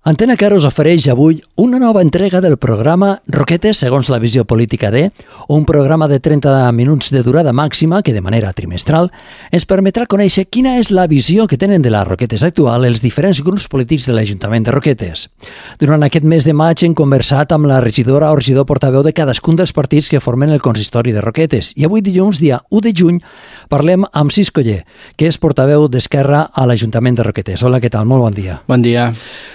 Antena Caro us ofereix avui una nova entrega del programa Roquetes segons la visió política de, un programa de 30 minuts de durada màxima que de manera trimestral ens permetrà conèixer quina és la visió que tenen de les Roquetes actual els diferents grups polítics de l'Ajuntament de Roquetes. Durant aquest mes de maig hem conversat amb la regidora o regidor portaveu de cadascun dels partits que formen el consistori de Roquetes i avui dilluns, dia 1 de juny, parlem amb Cis Coller, que és portaveu d'Esquerra a l'Ajuntament de Roquetes. Hola, què tal? Molt bon dia. Bon dia.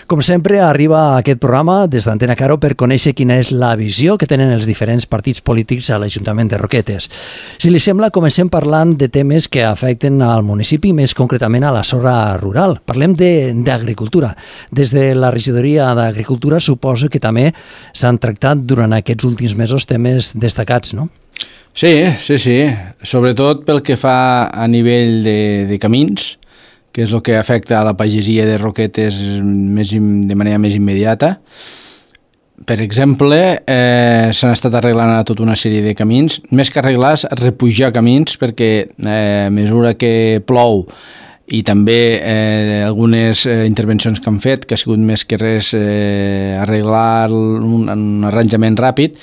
Com sempre, arriba a aquest programa des d'Antena Caro per conèixer quina és la visió que tenen els diferents partits polítics a l'Ajuntament de Roquetes. Si li sembla, comencem parlant de temes que afecten al municipi, més concretament a la zona rural. Parlem d'agricultura. Des de la regidoria d'Agricultura suposo que també s'han tractat durant aquests últims mesos temes destacats, no? Sí. Sobretot pel que fa a nivell de camins, que és el que afecta a la pagesia de Roquetes de manera més immediata. Per exemple, s'han estat arreglant tota una sèrie de camins, més que arreglar, repujar camins, perquè a mesura que plou i també algunes intervencions que han fet, que ha sigut més que res arreglar un arranjament ràpid,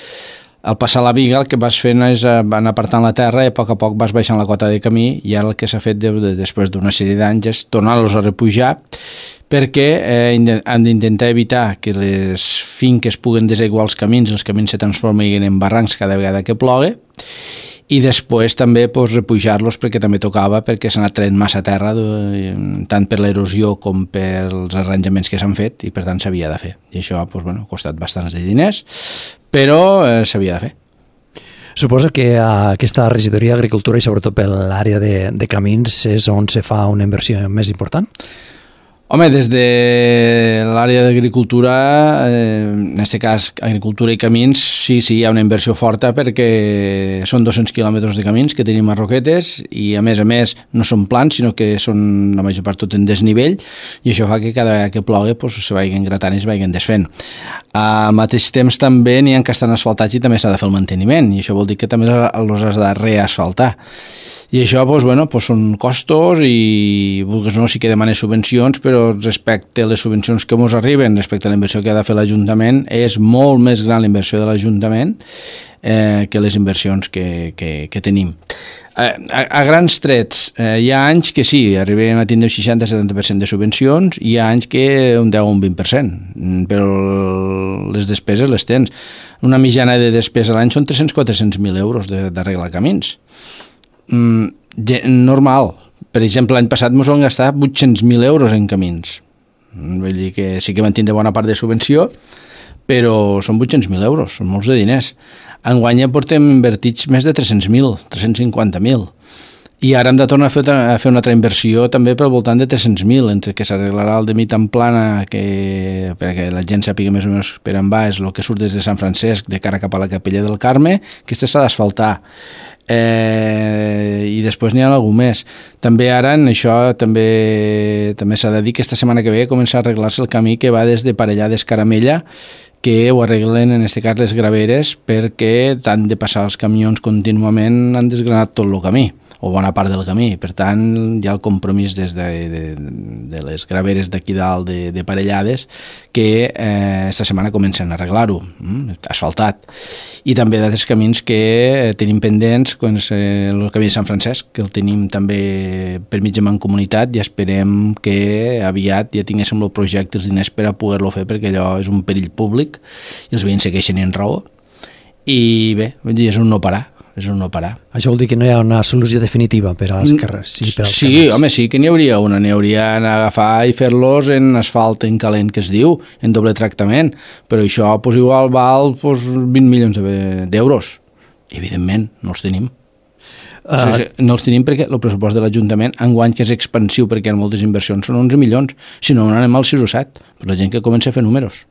al passar la viga el que vas fent és anar apartant la terra i a poc vas baixant la cota de camí i ara el que s'ha fet després d'una sèrie d'anys és tornar-los a repujar perquè han d'intentar evitar que les finques puguen desaiguar els camins se transformin en barrancs cada vegada que plogue i després també repujar-los perquè també tocava, perquè s'ha anat traient massa terra tant per l'erosió com pels arranjaments que s'han fet i per tant s'havia de fer. I això ha costat bastants de diners, però s'havia de fer. Suposo que aquesta regidoria d'Agricultura i sobretot per l'àrea de camins és on se fa una inversió més important? Home, des de l'àrea d'agricultura, en aquest cas agricultura i camins, sí, hi ha una inversió forta perquè són 200 quilòmetres de camins que tenim a Roquetes i a més no són plans, sinó que són la major part tot en desnivell i això fa que cada vegada que plogui se vagin gratant i es vagin desfent. Al mateix temps també n'hi ha que estan asfaltats i també s'ha de fer el manteniment i això vol dir que també els has de reasfaltar. I això són costos i vulguis no, sí que demanes subvencions, però respecte a les subvencions que ens arriben, respecte a la inversió que ha de fer l'Ajuntament, és molt més gran la inversió de l'Ajuntament que les inversions que tenim. A grans trets, hi ha anys que sí, arribem a tindre un 60-70% de subvencions, i hi ha anys que un 10 o un 20%, però les despeses les tens. Una mitjana de despesa a l'any són 300-400.000 euros d'arreglar camins. Normal. Per exemple, l'any passat ens vam gastar 800.000 euros en camins. Vull dir que sí que van tindre bona part de subvenció, però són 800.000 euros, són molts de diners. Enguany ja portem invertits més de 300.000, 350.000. I ara hem de tornar a fer una altra inversió també pel voltant de 300.000, entre que s'arreglarà el de mig en plana, perquè la gent sàpiga més o menys per on va, és el que surt des de Sant Francesc de cara cap a la Capella del Carme, que s'ha d'asfaltar. I després n'hi ha algú més. També ara en això també s'ha de dir que esta setmana que ve comença a arreglar-se el camí que va des de Parellades Caramella, que ho arreglen en aquest cas les graveres perquè tant de passar els camions contínuament han desgranat tot el camí o bona part del camí, per tant hi ha el compromís des de les graveres d'aquí dalt de Parellades que esta setmana comencen a arreglar-ho, asfaltat, i també d'altres camins que tenim pendents, com el camí de Sant Francesc, que el tenim també per mig de mancomunitat i esperem que aviat ja tinguéssim el projecte, els diners per a poder-lo fer, perquè allò és un perill públic i els veïns segueixen en raó i bé, és un no parar. Això vol dir que no hi ha una solució definitiva per als carrers? Sí, home, sí que n'hi hauria una. N'hi haurien d'agafar i fer-los en asfalt en calent, que es diu, en doble tractament. Però això igual val 20 milions d'euros. Evidentment, no els tenim. No els tenim perquè el pressupost de l'Ajuntament enguany, que és expansiu perquè hi ha moltes inversions, són 11 milions. Si no, anem als 6 o 7. Per la gent que comença a fer números.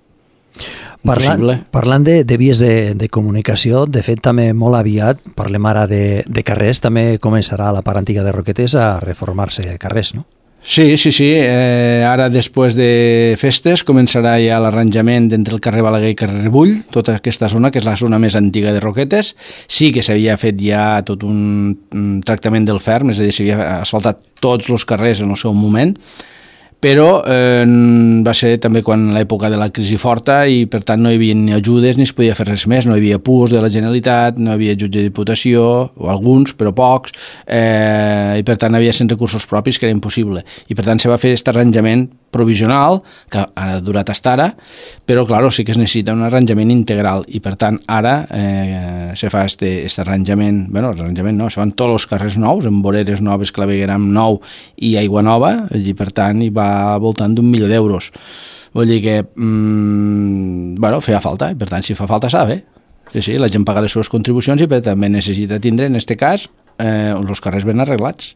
Parlant de vies de comunicació, de fet també molt aviat, parlem ara de carrers, també començarà la part antiga de Roquetes a reformar-se carrers, no? Sí. Ara després de festes començarà ja l'arranjament entre el carrer Balaguer i carrer Rebull, tota aquesta zona, que és la zona més antiga de Roquetes. Sí que s'havia fet ja tot un tractament del ferm, és a dir, s'havia asfaltat tots els carrers en el seu moment, però va ser també quan l'època de la crisi forta i per tant no hi havia ni ajudes ni es podia fer res més, no hi havia PUs de la Generalitat, no hi havia jutge de diputació, o alguns, però pocs, i per tant havia sense recursos propis que era impossible. I per tant se va fer aquest arranjament provisional, que ha durat fins ara, però clar, sí que es necessita un arranjament integral i per tant ara se fa aquest arranjament, arranjament no, se fan tots els carrers nous, amb voreres noves, clavegueram nou i aigua nova, i per tant hi va al voltant d'1 milió d'euros. Vull dir que feia falta, i per tant si fa falta s'ha de fer. Sí, la gent paga les seves contribucions i també necessita tindre, en aquest cas, els carrers ben arreglats.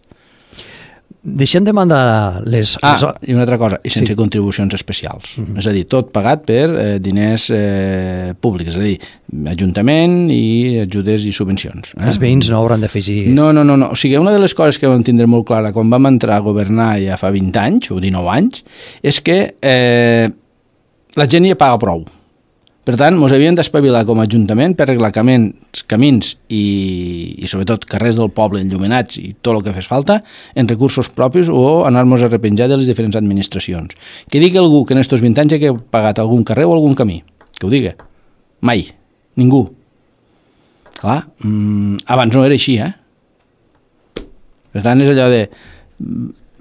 Deixem de mandar les... I una altra cosa, i sense contribucions especials. És a dir, tot pagat per diners públics, és a dir, ajuntament i ajudes i subvencions. Els veïns no hauran d'afegir... No. O sigui, una de les coses que vam tindre molt clara quan vam entrar a governar ja fa 20 anys, o 19 anys, és que la gent ja paga prou. Per tant, ens havíem d'espavilar com a ajuntament per arreglar camins i sobretot carrers del poble enllumenats i tot el que fes falta en recursos propis o anar-nos a repenjar de les diferents administracions. Que digui algú que en aquests 20 anys ha pagat algun carrer o algun camí. Que ho digui. Mai. Ningú. Clar, abans no era així, Per tant, és allò de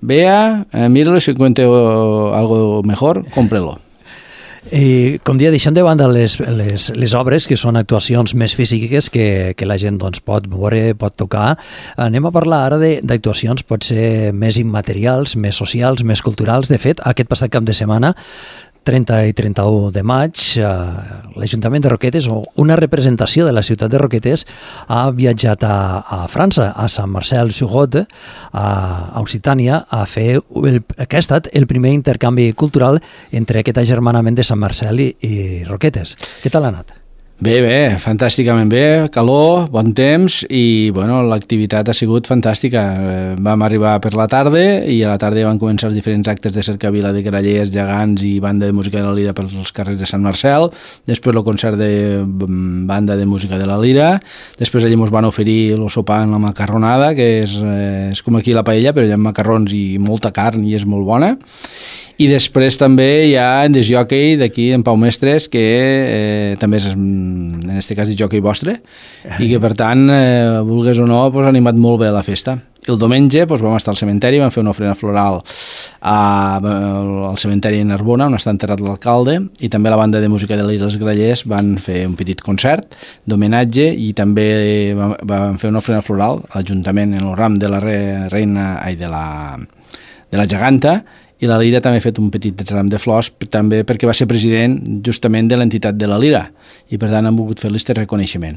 vea, míralo, si encuentre algo mejor, cómprelo. I, com dia, deixem de banda les obres, que són actuacions més físiques que la gent pot veure, pot tocar. Anem a parlar ara d'actuacions potser més immaterials, més socials, més culturals. De fet, aquest passat cap de setmana, 30 i 31 de maig, l'Ajuntament de Roquetes, o una representació de la ciutat de Roquetes, ha viatjat a França, a Saint-Marcel-sur-Lot, a Occitània, a fer que ha estat el primer intercanvi cultural entre aquest agermanament de Sant Marcel i Roquetes. Què tal ha anat? Bé, fantàsticament bé, calor, bon temps i l'activitat ha sigut fantàstica. Vam arribar per la tarda i a la tarda van començar els diferents actes de cercavila de grallers, gegants i banda de música de la Lira pels carrers de Sant Marcel, després el concert de banda de música de la Lira, després allà ens van oferir el sopar amb la macarronada, que és com aquí la paella, però hi ha macarrons i molta carn i és molt bona. I després també hi ha en desjockey d'aquí, en Pau Mestres, que també és, en aquest cas, disjockey vostre, i que per tant, vulgues o no, ha animat molt bé la festa. El diumenge vam estar al cementeri, vam fer una ofrena floral al cementeri de Narbona, on està enterrat l'alcalde, i també la banda de música de l'Illa dels Grallers van fer un petit concert d'homenatge i també van fer una ofrena floral a l'Ajuntament en el ram de la reina de la geganta, i la Lira també ha fet un petit ram de flors també perquè va ser president justament de l'entitat de la Lira i per tant han volgut fer-li aquest reconeixement.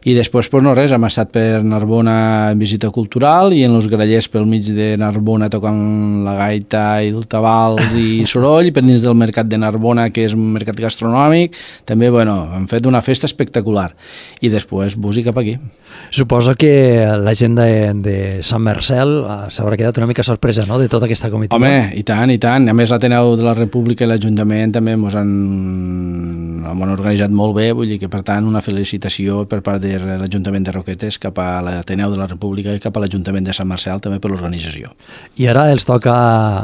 I després, no res, hem estat per Narbona en visita cultural i en els grallers pel mig de Narbona tocant la gaita i el tabal i soroll, i per dins del mercat de Narbona, que és un mercat gastronòmic, també, han fet una festa espectacular. I després, bus i cap aquí. Suposo que la gent de Sant Marcel s'haurà quedat una mica sorpresa, no?, de tota aquesta comitiva. Home, i tant. A més, l'Ateneu de la República i l'Ajuntament també ens han organitzat molt bé, vull dir que, per tant, una felicitació per part de l'Ajuntament de Roquetes cap a l'Ateneu de la República i cap a l'Ajuntament de Sant Marcel, també per l'organització. I ara els toca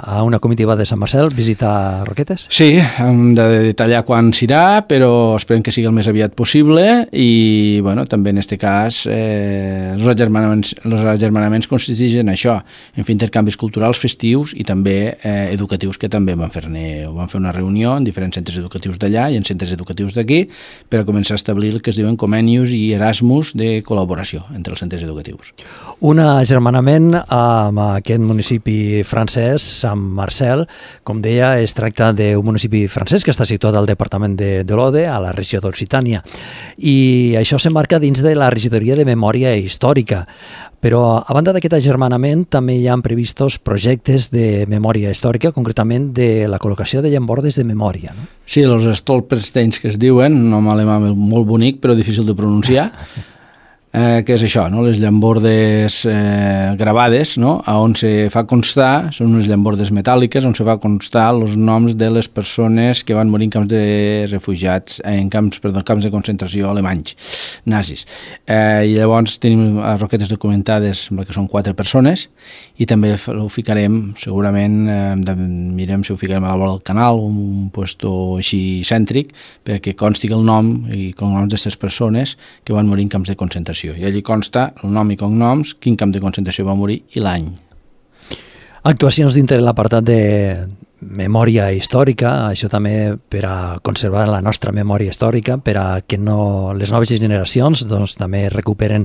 a una comitiva de Sant Marcel visitar Roquetes? Sí, hem de detallar quan s'irà, però esperem que sigui el més aviat possible i, també en aquest cas, els agermanaments consisteixen en això, en fer intercanvis culturals, festius i també educatius, que també van fer una reunió en diferents centres educatius d'allà i en centres educatius d'aquí per a començar a establir el que es diuen convenis i Erasmus de col·laboració entre els centres educatius. Un agermanament amb aquest municipi francès, Sant Marcel, com deia, es tracta d'un municipi francès que està situat al departament de l'Ode, a la regió d'Occitània, i això s'emmarca dins de la regidoria de Memòria Històrica. Però, a banda d'aquest agermanament, també hi ha previstos projectes de memòria històrica, concretament de la col·locació de llambordes de memòria, no? Sí, els Stolpersteins que es diuen, un nom alemà molt bonic però difícil de pronunciar. que és això, no? Les llambordes gravades, no? On se fa constar, són unes llambordes metàl·liques, on se fa constar els noms de les persones que van morir en camps de refugiats, camps de concentració alemanys, nazis. I llavors tenim les roquetes documentades, que són 4 persones, i també ho ficarem, segurament, mirem si ho ficarem a la vora del canal, un puesto així cèntric, perquè consti el nom i cognoms d'aquestes persones que van morir en camps de concentració. I allí consta el nom i cognoms, quin camp de concentració va morir i l'any. Actuacions dintre l'apartat de memòria històrica, això també per a conservar la nostra memòria històrica, per a que les noves generacions doncs, també recuperen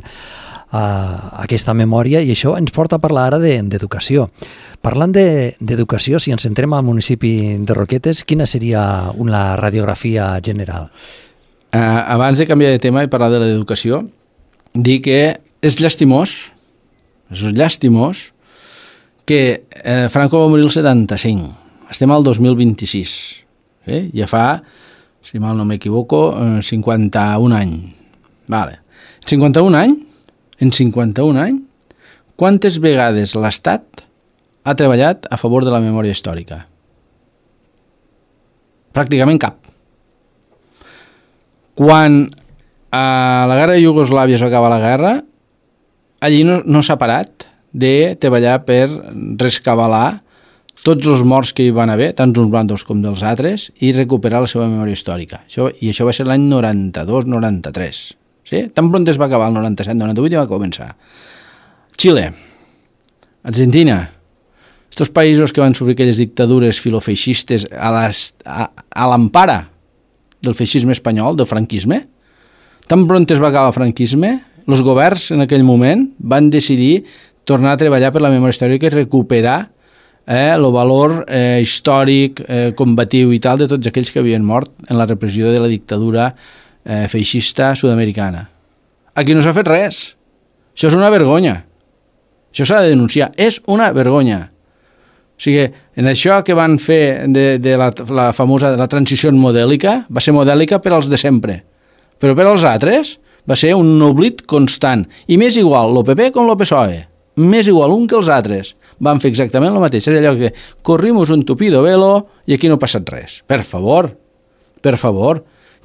aquesta memòria, i això ens porta a parlar ara d'educació. Parlant d'educació, si ens centrem al municipi de Roquetes, quina seria una radiografia general? Abans de canviar de tema i parlar de l'educació, dir que és llastimós que Franco va morir el 75. Estem al 2026. Ja fa, si mal no m'equivoco, 51 anys. Vale. En 51 anys, quantes vegades l'Estat ha treballat a favor de la memòria històrica? Pràcticament cap. Quan a la guerra de Iugoslàvia es va acabar la guerra, allí no s'ha parat de treballar per rescabalar tots els morts que hi van haver, tant uns bàndols com dels altres, i recuperar la seva memòria històrica. I això va ser l'any 92-93. Sí? Tan pront es va acabar el 97-98 i va començar. Xile, Argentina, estos països que van sofrir aquelles dictadures filofeixistes a l'empara del feixisme espanyol, del franquisme, tan pront es va acabar el franquisme, els governs en aquell moment van decidir tornar a treballar per la memòria històrica i recuperar el valor històric, combatiu i tal de tots aquells que havien mort en la repressió de la dictadura feixista sud-americana. Aquí no s'ha fet res. Això és una vergonya. Això s'ha de denunciar. És una vergonya. O sigui, en això que van fer de la famosa transició modèlica, va ser modèlica per als de sempre. Però per als altres va ser un oblit constant. I m'és igual el PP com el PSOE. M'és igual un que els altres. Van fer exactament el mateix. És allò que corrimos un tupido velo i aquí no ha passat res. Per favor,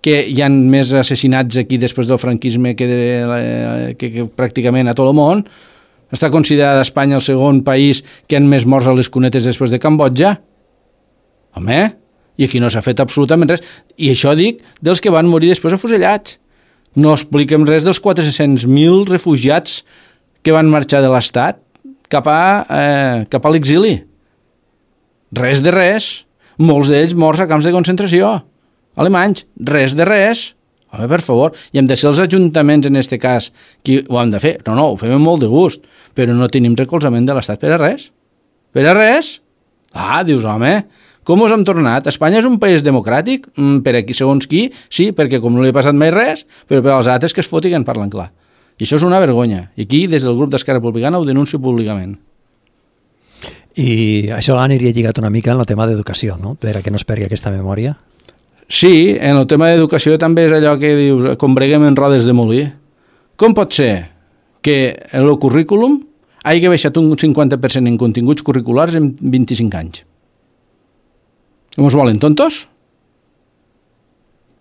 que hi ha més assassinats aquí després del franquisme que pràcticament a tot el món. Està considerada Espanya el segon país que han més morts a les cunetes després de Cambodja. Home, i aquí no s'ha fet absolutament res. I això dic dels que van morir després afusellats. No expliquem res dels 400.000 refugiats que van marxar de l'Estat cap a l'exili. Res de res. Molts d'ells morts a camps de concentració. Alemanys, res de res. Home, per favor, i hem de ser els ajuntaments en aquest cas qui ho han de fer. No, ho fem amb molt de gust, però no tenim recolzament de l'Estat per a res. Per a res? Dius, home, com us hem tornat? Espanya és un país democràtic? Per aquí, segons qui? Sí, perquè com no li ha passat mai res, però per als altres que es fotin en parlen clar. I això és una vergonya. I aquí, des del grup d'Esquerra Republicana, ho denuncio públicament. I això aniria lligat una mica en el tema d'educació, no? Per a que no es perdi aquesta memòria. Sí, en el tema d'educació també és allò que dius, combreguem en rodes de molí. Com pot ser que el currículum hagi baixat un 50% en continguts curriculars en 25 anys? Com us volen, tontos?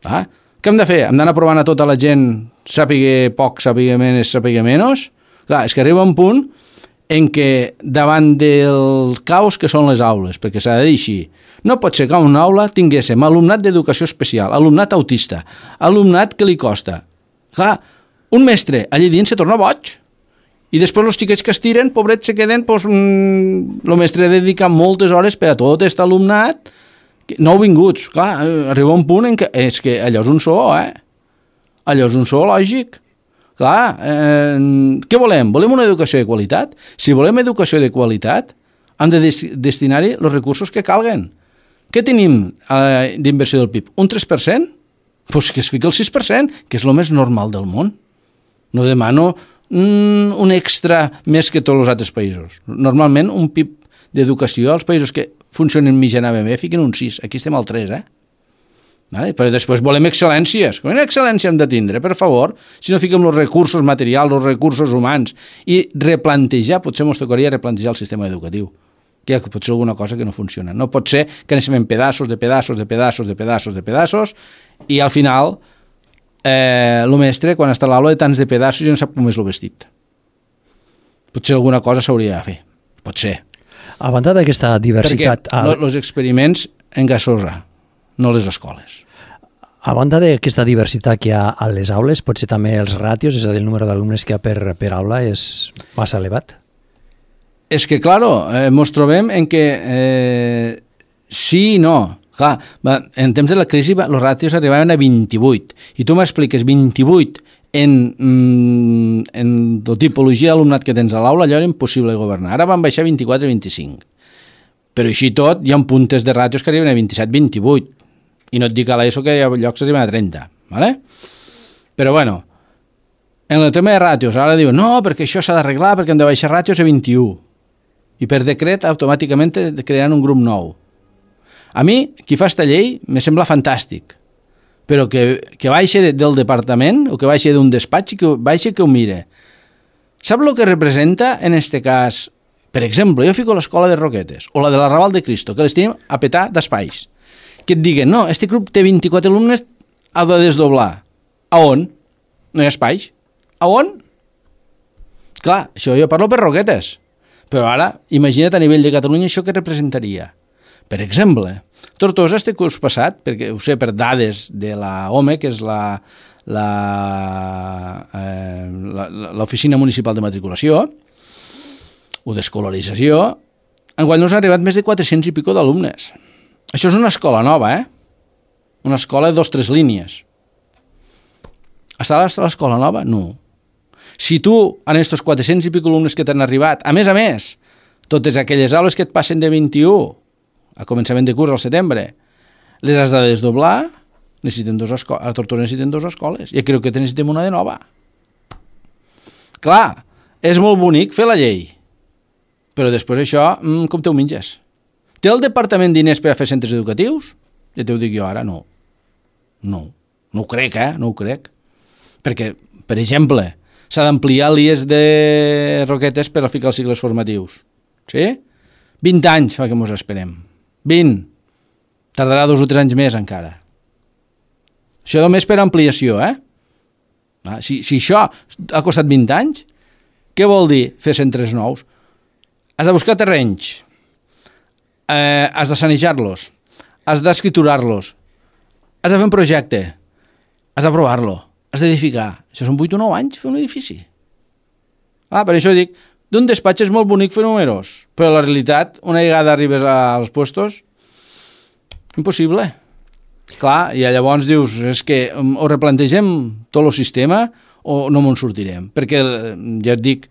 Què hem de fer? Hem d'anar provant a tota la gent sàpiga poc, sàpiga menys? Clar, és que arriba un punt en què davant del caos que són les aules, perquè s'ha de dir així, no pot ser que a una aula tinguéssim alumnat d'educació especial, alumnat autista, alumnat que li costa. Clar, un mestre allí dins se torna boig. I després els xiquets que es tiren, pobrets, se queden, el mestre dedica moltes hores per a tot aquest alumnat nouvinguts. Clar, arriba un punt en què és que allò és un so, Allò és un so lògic. Clar, què volem? Volem una educació de qualitat? Si volem educació de qualitat, hem de destinar-hi els recursos que calguen. Què tenim d'inversió del PIB? Un 3%? Doncs que es fiqui el 6%, que és el més normal del món. No demano un extra més que tots els altres països. Normalment, un PIB d'educació als països que funcionen mitjanament bé fiquen un 6. Aquí estem al 3, Vale? Però després volem excel·lències. Quina excel·lència hem de tindre, per favor? Si no fiquem els recursos materials, els recursos humans, i replantejar, potser ens tocaria replantejar el sistema educatiu, que pot ser alguna cosa que no funciona. No pot ser que anem en pedaços, i al final el mestre, quan està a l'aula de tants de pedaços, ja no sap com és el vestit. Potser alguna cosa s'hauria de fer. Pot ser. A banda d'aquesta diversitat... Perquè els experiments en gasosa, no les escoles. A banda d'aquesta diversitat que hi ha a les aules, potser també els ràtios, és a dir, el número d'alumnes que hi ha per aula és massa elevat? És que, claro, ens trobem en que sí i no. Clar, en temps de la crisi els ràtios arribaven a 28, i tu m'expliques 28 en la tipologia d'alumnat que tens a l'aula, allò era impossible governar. Ara van baixar 24 i 25. Però així tot, hi ha puntes de ràtios que arriben a 27-28. I no et dic a l'ESO que hi ha llocs que arriben a 30. ¿Vale? Però bueno, en el tema de ràtios, ara diuen, no, perquè això s'ha d'arreglar, perquè hem de baixar ràtios a 21. I per decret, automàticament crearan un grup nou. A mi, qui fa esta llei, me sembla fantàstic. Però que baixi del departament, o que baixi d'un despatx, que baixi que ho mire. Sap el que representa, en este cas, per exemple, jo fico l'escola de Roquetes, o la de la Raval de Cristo, que les tenim a petar d'espais. Que et diguen, no, este grup té 24 alumnes, ha de desdoblar. A on? No hi ha espais. A on? Clar, això jo parlo per Roquetes. Però ara, imagina't a nivell de Catalunya això que representaria. Per exemple, Tortosa este curs passat, perquè ho sé per dades de la OME, que és l'Oficina Municipal de Matriculació, o d'escolarització, enguany nos han arribat més de 400 i pico d'alumnes. Això és una escola nova, Una escola de 2 o 3 línies. Està l'escola nova? No. Si tu, en aquests 400 i pico alumnes que t'han arribat, a més, totes aquelles aules que et passen de 21 a començament de curs al setembre, les has de desdoblar, a Tortosa necessiten 2 escoles. Jo crec que necessitem una de nova. Clar, és molt bonic fer la llei, però després això, com te ho menges? Té el departament diners per a fer centres educatius? Ja t'ho dic jo ara, no. No ho crec, no ho crec. Perquè, per exemple, s'ha d'ampliar l'IES de Roquetes per a ficar els cicles formatius. Sí? 20 anys fa que mos esperem. 20. Tardarà 2 o 3 anys més encara. Això només per ampliació, Si això ha costat 20 anys, què vol dir fer centres nous? Has de buscar terrenys, has de sanejar-los, has d'escriturar-los, has de fer un projecte, has d'aprovar-lo, has d'edificar. Això són 8 o 9 anys fer un edifici. Per això dic, d'un despatx és molt bonic fer números, però la realitat, una vegada arribes als puestos, impossible. Clar, i llavors dius, és que o replantegem tot el sistema o no me'n sortirem. Perquè, ja et dic,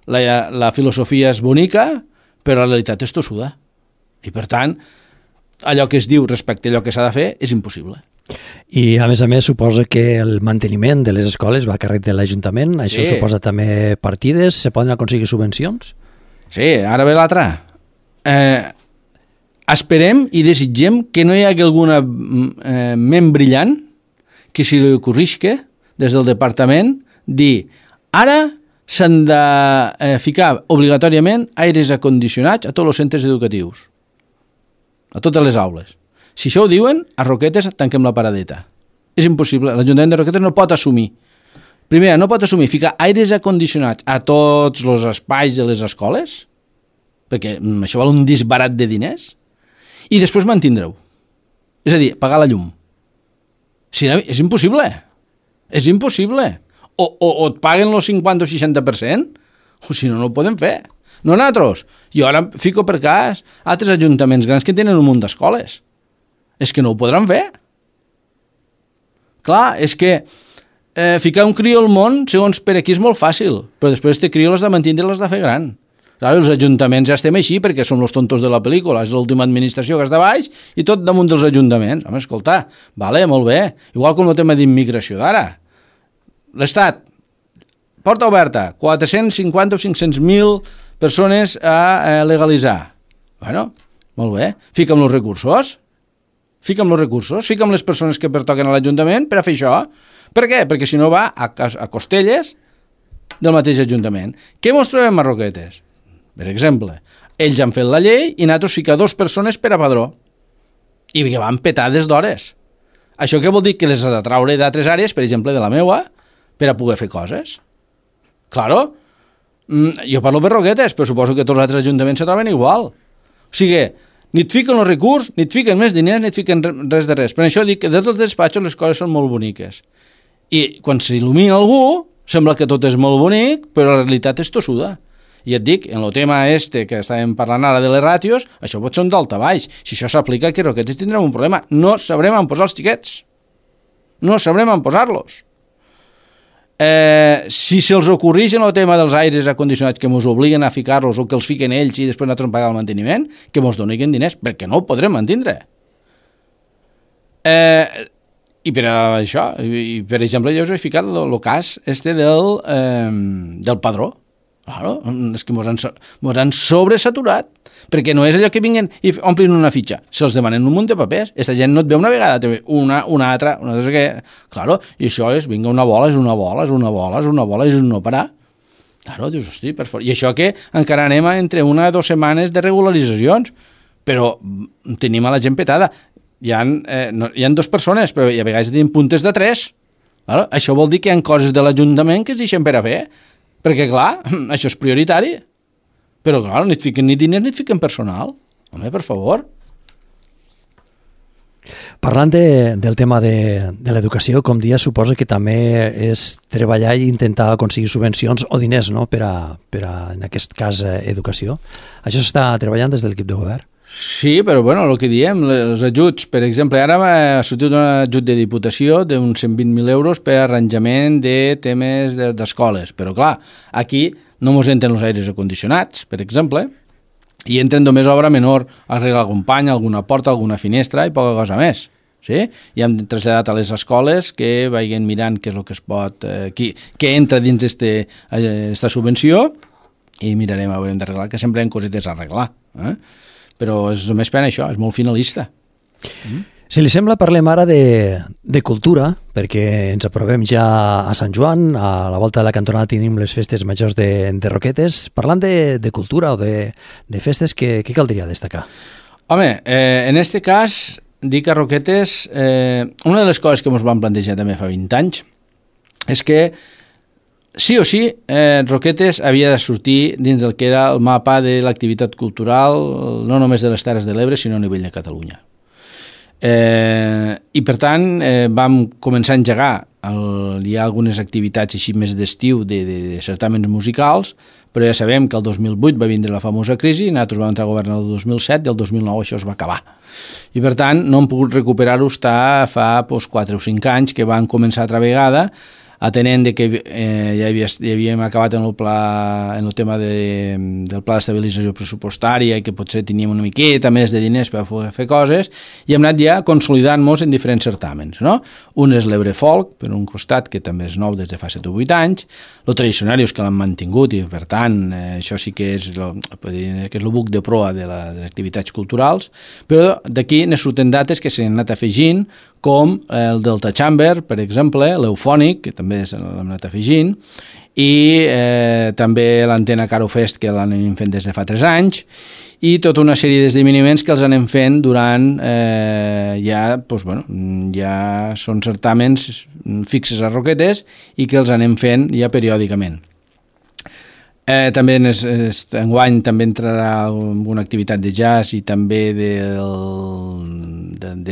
la filosofia és bonica, però la realitat és tossuda. I per tant, allò que es diu respecte a allò que s'ha de fer és impossible. I a més, suposa que el manteniment de les escoles va a càrrec de l'Ajuntament. Això suposa també partides? Se poden aconseguir subvencions? Sí, ara ve l'altra. Esperem i desitgem que no hi hagi alguna ment brillant que si li ocorrisca des del departament dir ara s'han de ficar obligatòriament aires acondicionats a tots els centres educatius, a totes les aules. Si això ho diuen, a Roquetes tanquem la paradeta. És impossible, l'Ajuntament de Roquetes no pot assumir. Primer, no pot assumir ficar aires acondicionats a tots els espais de les escoles, perquè això val un disbarat de diners, i després mantindre-ho. És a dir, pagar la llum. Si no, és impossible. És impossible. O et paguen el 50 o 60%, o si no, no ho podem fer. No nosaltres. Jo ara fico per cas altres ajuntaments grans que tenen un munt d'escoles. És que no ho podran fer. Clar, és que ficar un crió al món, segons per aquí, és molt fàcil, però després este crió l'has de mantindre i l'has de fer gran. Clar, els ajuntaments ja estem així perquè som els tontos de la pel·lícula, és l'última administració que està baix i tot damunt dels ajuntaments. Home, escolta, vale, molt bé. Igual com el tema d'immigració d'ara. L'Estat, porta oberta, 450 o 500.000 persones a legalitzar. Bueno, molt bé. Fica'm els recursos. fica'm els recursos, fica'm les persones que pertoquen a l'Ajuntament per a fer això. Per què? Perquè si no va a costelles del mateix Ajuntament. Què mos trobem a Roquetes? Per exemple, ells han fet la llei i nosaltres fica 2 persones per a padró i que van petades d'hores. Això què vol dir? Que les has de traure d'altres àrees, per exemple de la meua, per a poder fer coses. Claro, jo parlo per Roquetes, però suposo que tots els altres ajuntaments se troben igual. O sigui, ni et fiquen els recursos, ni et fiquen més diners, ni et fiquen res de res. Per això dic que des dels despatxos les coses són molt boniques. I quan s'il·lumina algú, sembla que tot és molt bonic, però la realitat és tossuda. I et dic, en el tema que estàvem parlant ara de les ràtios, això pot ser un daltabaix. Si això s'aplica, que Roquetes tindrem un problema. No sabrem on posar els xiquets. No sabrem on posar-los. Si se'ls ocorreix en el tema dels aires acondicionats que ens obliguen a ficar-los o que els fiquen ells i després nosaltres pagar el manteniment, que ens donin diners, perquè no ho podrem mantindre. I per això, per exemple, jo us he ficat el cas del padró. Claro, és que mos han sobresaturat, perquè no és allò que vinguen i omplin una fitxa, se'ls demanen un munt de papers, aquesta gent no et ve una vegada, te ve una altra, claro, i això és, vinga, una bola, és una bola, és un no parar. Claro, dius, hosti, per fort. I això que encara anem entre 1 o 2 setmanes de regularitzacions, però tenim a la gent petada. Hi ha 2 persones, però a vegades tenim puntes de 3. Claro, això vol dir que hi ha coses de l'Ajuntament que es deixen per a fer, perquè, clar, això és prioritari. Però, clar, ni et fiquen ni diners ni et fiquen personal. Home, per favor. Parlant del tema de l'educació, com dia, suposa que també és treballar i intentar aconseguir subvencions o diners, no?, per a en aquest cas, educació. Això s'està treballant des de l'equip de govern? Sí, però bueno, el que diem, els ajuts, per exemple, ara m'ha sortit un ajut de Diputació d'uns 120.000 euros per arranjament de temes d'escoles, però clar, aquí no mos entren els aires acondicionats, per exemple, i entren només obra menor, arreglar algun pany, alguna porta, alguna finestra i poca cosa més. Sí? I hem traslladat a les escoles que vagin mirant què és el que es pot, què entra dins esta subvenció i mirarem a veure d'arreglar, que sempre hi ha cosetes a arreglar. Però és només per això, és molt finalista. Si li sembla, parlem ara de cultura, perquè ens aprovem ja a Sant Joan, a la volta de la cantonada tenim les festes majors de Roquetes. Parlant de cultura o de festes, què caldria destacar? Home, en este cas, dic a Roquetes, una de les coses que ens vam plantejar també fa 20 anys és que sí o sí, Roquetes havia de sortir dins del que era el mapa de l'activitat cultural, no només de les Terres de l'Ebre, sinó a nivell de Catalunya. I per tant vam començar a engegar, hi ha algunes activitats així més d'estiu de certàmens musicals, però ja sabem que el 2008 va vindre la famosa crisi, nosaltres vam entrar a govern el 2007 i el 2009 això es va acabar. I per tant no hem pogut recuperar-ho fa 4 o 5 anys que van començar altra vegada, atenent que ja havíem acabat en el tema del pla d'estabilització pressupostària i que potser teníem una miqueta més de diners per fer coses, i hem anat ja consolidant-nos en diferents certàmens. No? Un és l'Ebre Folk, per un costat, que també és nou des de fa 7 o 8 anys, el Tradicionarius, que l'han mantingut, i per tant això sí que és el buc de proa de les activitats culturals, però d'aquí ne surten dates que s'han anat afegint, com el Delta Chamber, per exemple, l'Eufònic, que també l'hem anat afegint, i també l'Antena Caro Fest, que l'anem fent des de fa 3 anys, i tota una sèrie d'esdeveniments que els anem fent durant ja són certàmens fixes a Roquetes i que els anem fent ja periòdicament. També enguany també entrarà alguna activitat de jazz i també de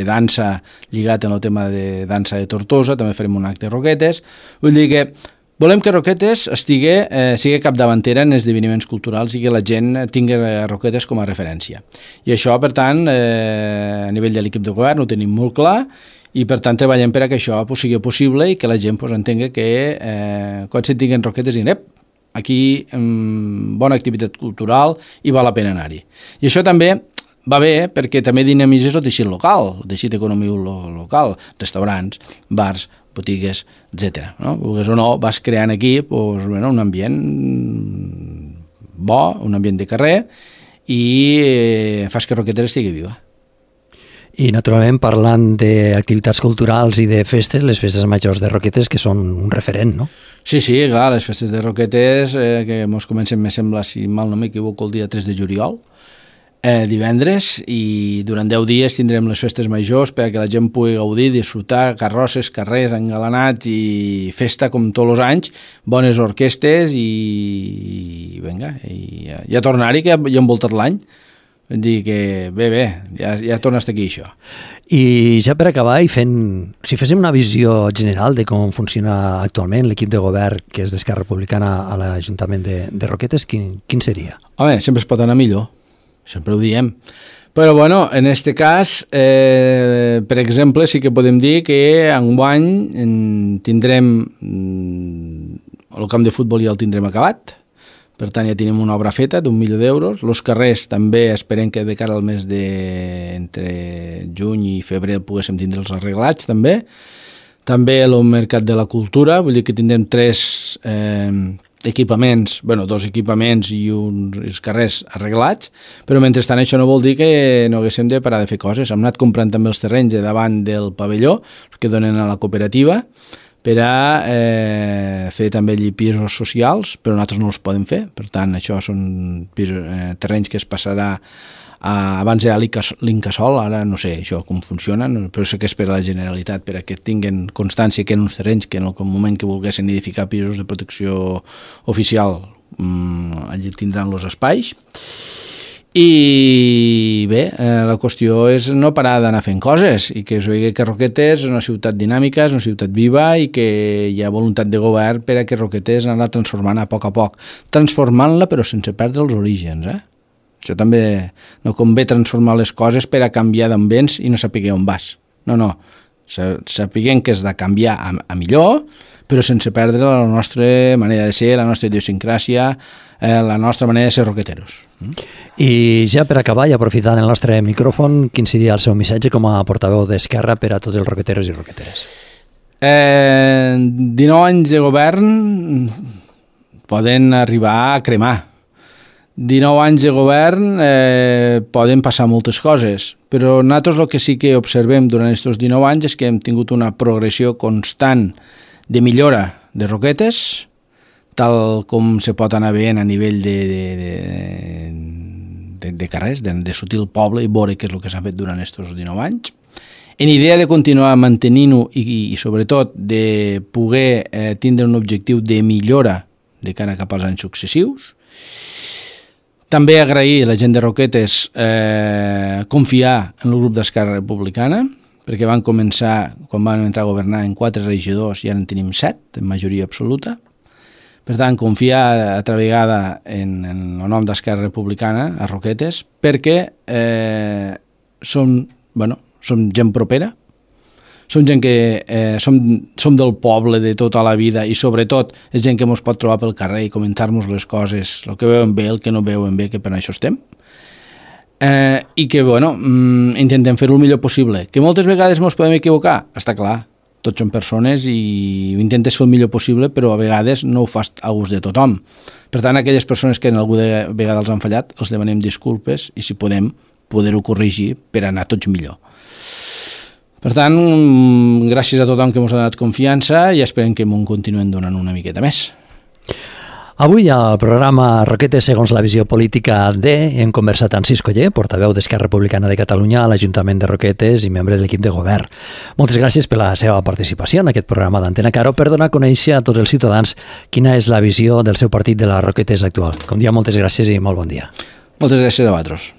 dansa lligat en el tema de dansa de Tortosa, també farem un acte a Roquetes. Vull dir que volem que Roquetes sigui capdavantera en esdeveniments culturals i que la gent tingui Roquetes com a referència. I això, per tant, a nivell de l'equip de govern ho tenim molt clar i per tant treballem per a que això sigui possible i que la gent entengui que quan se'n tinguin Roquetes diguin aquí bona activitat cultural i val la pena anar-hi. I això també va bé perquè també dinamitzes el teixit local, el teixit econòmic local, restaurants, bars, botigues, etc. No? Vulguis o no, vas creant aquí un ambient bo, un ambient de carrer i fas que Roquetes estigui viva. I, naturalment, parlant d'activitats culturals i de festes, les festes majors de Roquetes, que són un referent, no? Sí, clar, les festes de Roquetes, que mos comencen, me sembla, si mal no m'equivoco, el dia 3 de juliol, divendres, i durant 10 dies tindrem les festes majors perquè la gent pugui gaudir, disfrutar, carrosses, carrers engalanats i festa com tots els anys, bones orquestes i vinga, i a tornar-hi, que ja hem voltat l'any. Vull dir que bé, ja torna a estar aquí això. I ja per acabar, si féssim una visió general de com funciona actualment l'equip de govern que és d'Esquerra Republicana a l'Ajuntament de Roquetes, quin seria? Home, sempre es pot anar millor, sempre ho diem. Però bueno, en este cas, per exemple, sí que podem dir que enguany tindrem el camp de futbol ja el tindrem acabat. Per tant, ja tenim una obra feta d'1 milió d'euros. Els carrers també esperem que de cara al mes entre juny i febrer poguéssim tindre'ls arreglats també. També el Mercat de la Cultura, vull dir que tindrem 3 equipaments, 2 equipaments i els carrers arreglats, però mentrestant això no vol dir que no haguéssim de parar de fer coses. Hem anat comprant també els terrenys de davant del pavelló, que donen a la cooperativa, per a fer també allí pisos socials, però nosaltres no els podem fer. Per tant, això són terrenys que es passarà abans era l'Incasol, ara no sé això com funciona, però sé que és per a la Generalitat, per a que tinguin constància que en uns terrenys que en el moment que volguessin edificar pisos de protecció oficial allí tindran els espais. I bé, la qüestió és no parar d'anar fent coses i que es vegi que Roquetes és una ciutat dinàmica, és una ciutat viva i que hi ha voluntat de govern per a que Roquetes anar transformant a poc, transformant-la però sense perdre els orígens. Això també no convé transformar les coses per a canviar d'ambients i no saber on vas. No, sapiguem que és de canviar a millor, però sense perdre la nostra manera de ser, la nostra idiosincràsia, la nostra manera de ser roqueteros. I ja per acabar, i aprofitant el nostre micròfon, quin seria el seu missatge com a portaveu d'Esquerra per a tots els roqueteros i roqueteres? 19 anys de govern poden arribar a cremar. 19 anys de govern poden passar moltes coses, però nosaltres el que sí que observem durant aquests 19 anys és que hem tingut una progressió constant de millora de Roquetes, tal com se pot anar veient a nivell de carrers, de sutil poble, i veure què és el que s'ha fet durant aquests 19 anys. En idea de continuar mantenint-ho i sobretot de poder tindre un objectiu de millora de cara cap als anys successius. També agrair a la gent de Roquetes confiar en el grup d'Esquerra Republicana, perquè van començar, quan van entrar a governar, en 4 regidors i ara en tenim 7, en majoria absoluta. Per tant, confiar altra vegada en el nom d'Esquerra Republicana a Roquetes, perquè som gent propera, som gent que som del poble de tota la vida i sobretot és gent que ens pot trobar pel carrer i comentar-nos les coses, el que veuen bé, el que no veuen bé, que per això estem. I que, intentem fer-ho el millor possible. Que moltes vegades ens podem equivocar, està clar, tots som persones i intentes fer el millor possible, però a vegades no ho fas a gust de tothom. Per tant, aquelles persones que en alguna vegada els han fallat, els demanem disculpes i si podem, poder-ho corregir per anar tots millor. Per tant, gràcies a tothom que ens ha donat confiança i esperem que m'ho continuem donant una miqueta més. Avui al programa Roquetes segons la visió política hem conversat amb Cisco Oller, portaveu d'Esquerra Republicana de Catalunya a l'Ajuntament de Roquetes i membre de l'equip de govern. Moltes gràcies per la seva participació en aquest programa d'Antena Caro per donar a conèixer a tots els ciutadans quina és la visió del seu partit de la Roquetes actual. Com dia, moltes gràcies i molt bon dia. Moltes gràcies a vosaltres.